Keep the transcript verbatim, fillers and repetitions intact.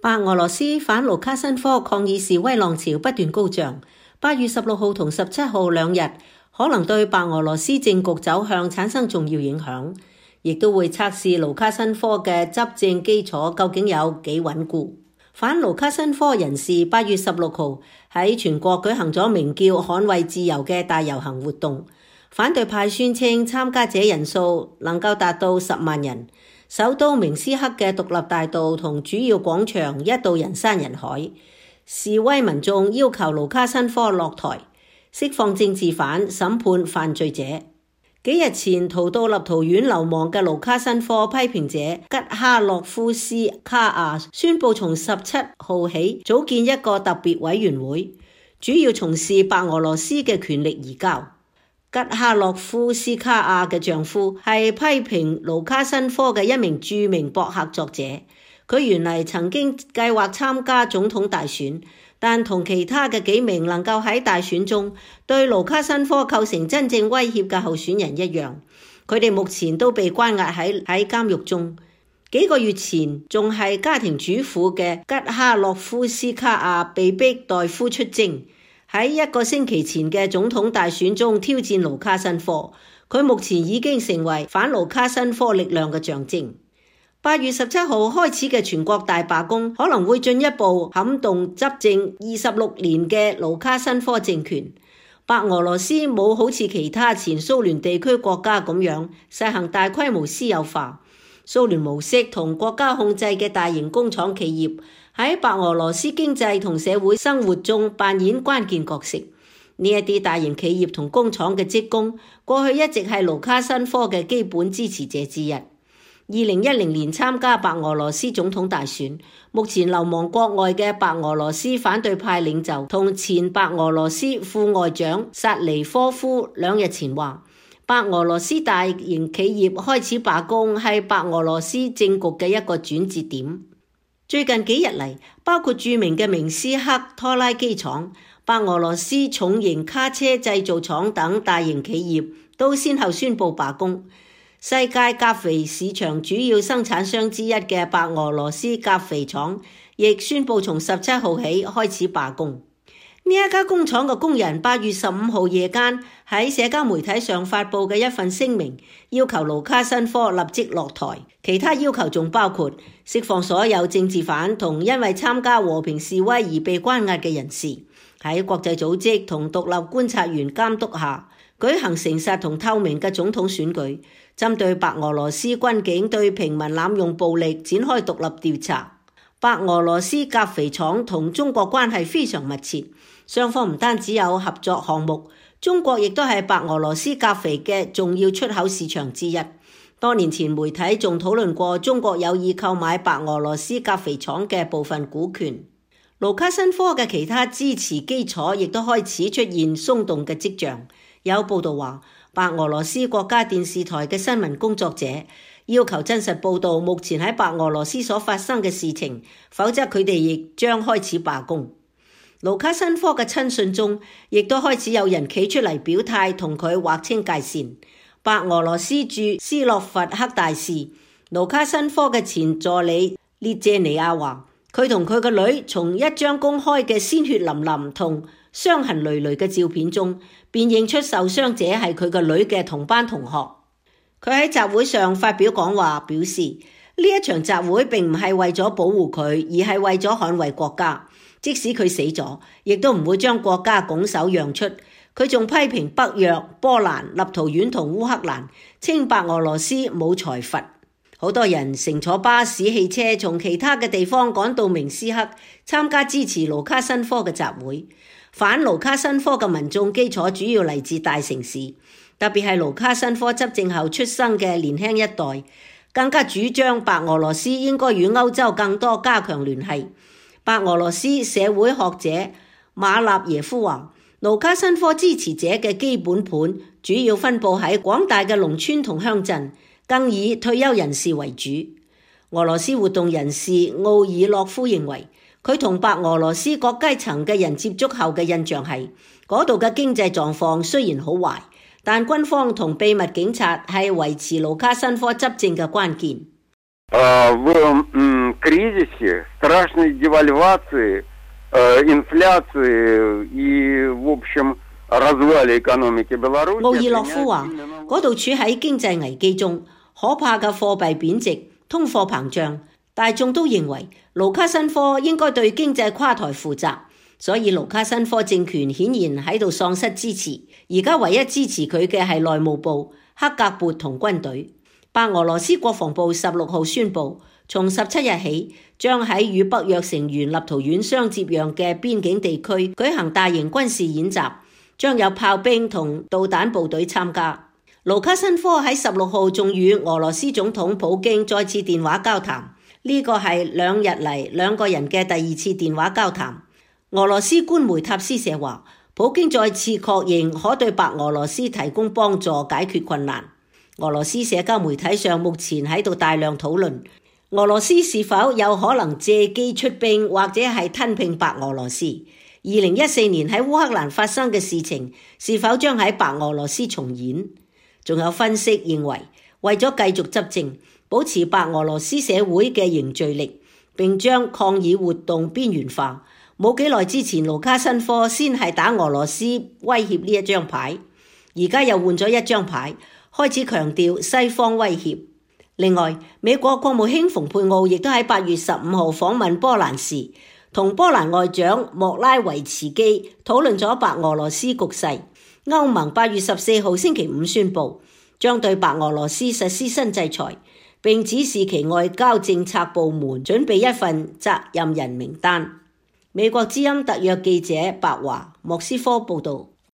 白俄羅斯反盧卡申科抗議示威浪潮不斷高漲，八月十六號同十七號兩日可能對白俄羅斯政局走向產生重要影響，亦都會測試盧卡申科嘅執政基礎究竟有幾穩固。反盧卡申科人士八月十六號喺全國舉行咗名叫捍衛自由嘅大遊行活動，反對派宣稱參加者人數能夠達到十萬人。首都明斯克嘅獨立大道同主要廣場一度人山人海，示威民眾要求盧卡申科落台，釋放政治犯，審判犯罪者。幾日前逃到立陶宛流亡嘅盧卡申科批評者吉哈洛夫斯卡亞宣布從十七號起組建一個特別委員會，主要從事白俄羅斯嘅權力移交。吉哈洛夫斯卡亞嘅丈夫係批評盧卡申科嘅一名著名博客作者，佢原嚟曾經計劃參加總統大選，但同其他嘅幾名能夠喺大選中對盧卡申科構成真正威脅嘅候選人一樣，佢哋目前都被關押喺喺監獄中。幾個月前仲係家庭主婦嘅吉哈洛夫斯卡亞被逼代夫出征，喺一個星期前嘅總統大選中挑戰盧卡申科，佢目前已經成為反盧卡申科力量嘅象徵。八月十七號開始嘅全國大罷工可能會進一步撼動執政二十六年嘅盧卡申科政權。白俄羅斯冇好似其他前蘇聯地區國家咁樣實行大規模私有化，蘇聯模式同國家控制嘅大型工廠企業喺白俄羅斯經濟同社會生活中扮演關鍵角色。呢一啲大型企業同工廠嘅職工過去一直係盧卡申科嘅基本支持者之一。二零一零年參加白俄羅斯總統大選，目前流亡國外嘅白俄羅斯反對派領袖同前白俄羅斯副外長薩尼科夫兩日前話，白俄羅斯大型企業開始罷工係白俄羅斯政局嘅一個轉折點。最近幾日嚟，包括著名嘅明斯克拖拉機廠、白俄羅斯重型卡車製造廠等大型企業都先後宣布罷工。世界鉀肥市場主要生產商之一嘅白俄羅斯鉀肥廠亦宣布從十七號起開始罷工。呢一家工廠嘅工人八月十五號夜間喺社交媒體上發布嘅一份聲明，要求盧卡申科立即落台。其他要求仲包括釋放所有政治犯同因為參加和平示威而被關押嘅人士，喺國際組織同獨立觀察員監督下舉行誠實同透明嘅總統選舉，針對白俄羅斯軍警對平民濫用暴力展開獨立調查。白俄羅斯鉀肥廠同中國關係非常密切，雙方唔單止有合作項目，中國亦都係白俄羅斯鉀肥嘅重要出口市場之一。多年前媒體仲討論過中國有意購買白俄羅斯鉀肥廠嘅部分股權。盧卡申科嘅其他支持基礎亦都開始出現鬆動嘅跡象。有報道話，白俄羅斯國家電視台嘅新聞工作者要求真實報導目前喺白俄羅斯所發生嘅事情，否則佢哋亦將開始罷工。盧卡申科嘅親信中亦都開始有人企出嚟表態，同佢劃清界線。白俄羅斯駐斯洛伐克大使盧卡申科嘅前助理列謝尼亞話，佢同佢個女從一張公開嘅鮮血淋淋同傷痕累累嘅照片中辨認出受傷者係佢個女嘅同班同學。佢喺集會上發表講話，表示呢一場集會並唔係為咗保護佢，而係為咗捍衛國家。即使佢死咗，亦都唔會將國家拱手讓出。佢仲批評北約、波蘭、立陶宛同烏克蘭，稱白俄羅斯冇財閥。好多人乘坐巴士、汽車從其他嘅地方趕到明斯克參加支持盧卡申科嘅集會。反盧卡申科嘅民眾基礎主要嚟自大城市，特別係盧卡申科執政後出生嘅年輕一代，更加主張白俄羅斯應該與歐洲更多加強聯繫。白俄羅斯社會學者馬納耶夫話，盧卡申科支持者嘅基本盤主要分佈喺廣大嘅農村同鄉鎮，更以退休人士為主。俄羅斯活動人士奧爾洛夫認為，佢同白俄羅斯各階層嘅人接觸後嘅印象係，嗰度嘅經濟狀況雖然好壞，但軍方同秘密警察係維持盧卡申科執政嘅關鍵。呃в м, кризисе, страшной девальвации, э, инфляции и, в общем, развале экономики Беларуси. 奧爾洛夫話：嗰度處喺經濟危機中，可怕嘅貨幣貶值、通貨膨脹，大眾都認為盧卡申科應該對經濟垮台負責，所以盧卡申科政權顯然喺度喪失支持。而家唯一支持佢嘅係內務部、克格勃同軍隊。白俄羅斯國防部十六號宣布，從十七日起，將喺與北約成員立陶宛相接壤嘅邊境地區舉行大型軍事演習，將有炮兵同導彈部隊參加。盧卡申科喺十六號仲與俄羅斯總統普京再次電話交談，呢個係兩日嚟兩個人嘅第二次電話交談。俄羅斯官媒塔斯社話，普京再次確認可對白俄羅斯提供幫助解決困難。俄羅斯社交媒體上目前喺度大量討論，俄羅斯是否有可能借機出兵或者係吞併白俄羅斯？二零一四年喺烏克蘭發生嘅事情，是否將喺白俄羅斯重演？仲有分析認為，為咗繼續執政，保持白俄羅斯社會嘅凝聚力，並將抗議活動邊緣化，冇幾耐之前盧卡申科先係打俄羅斯威脅呢一張牌，而家又換咗一張牌，開始強調西方威脅。另外，美國國務卿蓬佩奧亦都喺八月十五號訪問波蘭時，同波蘭外長莫拉維茨基討論咗白俄羅斯局勢。歐盟八月十四號星期五宣布，將對白俄羅斯實施新制裁，並指示其外交政策部門準備一份責任人名單。美國之音特約記者白華莫斯科報導。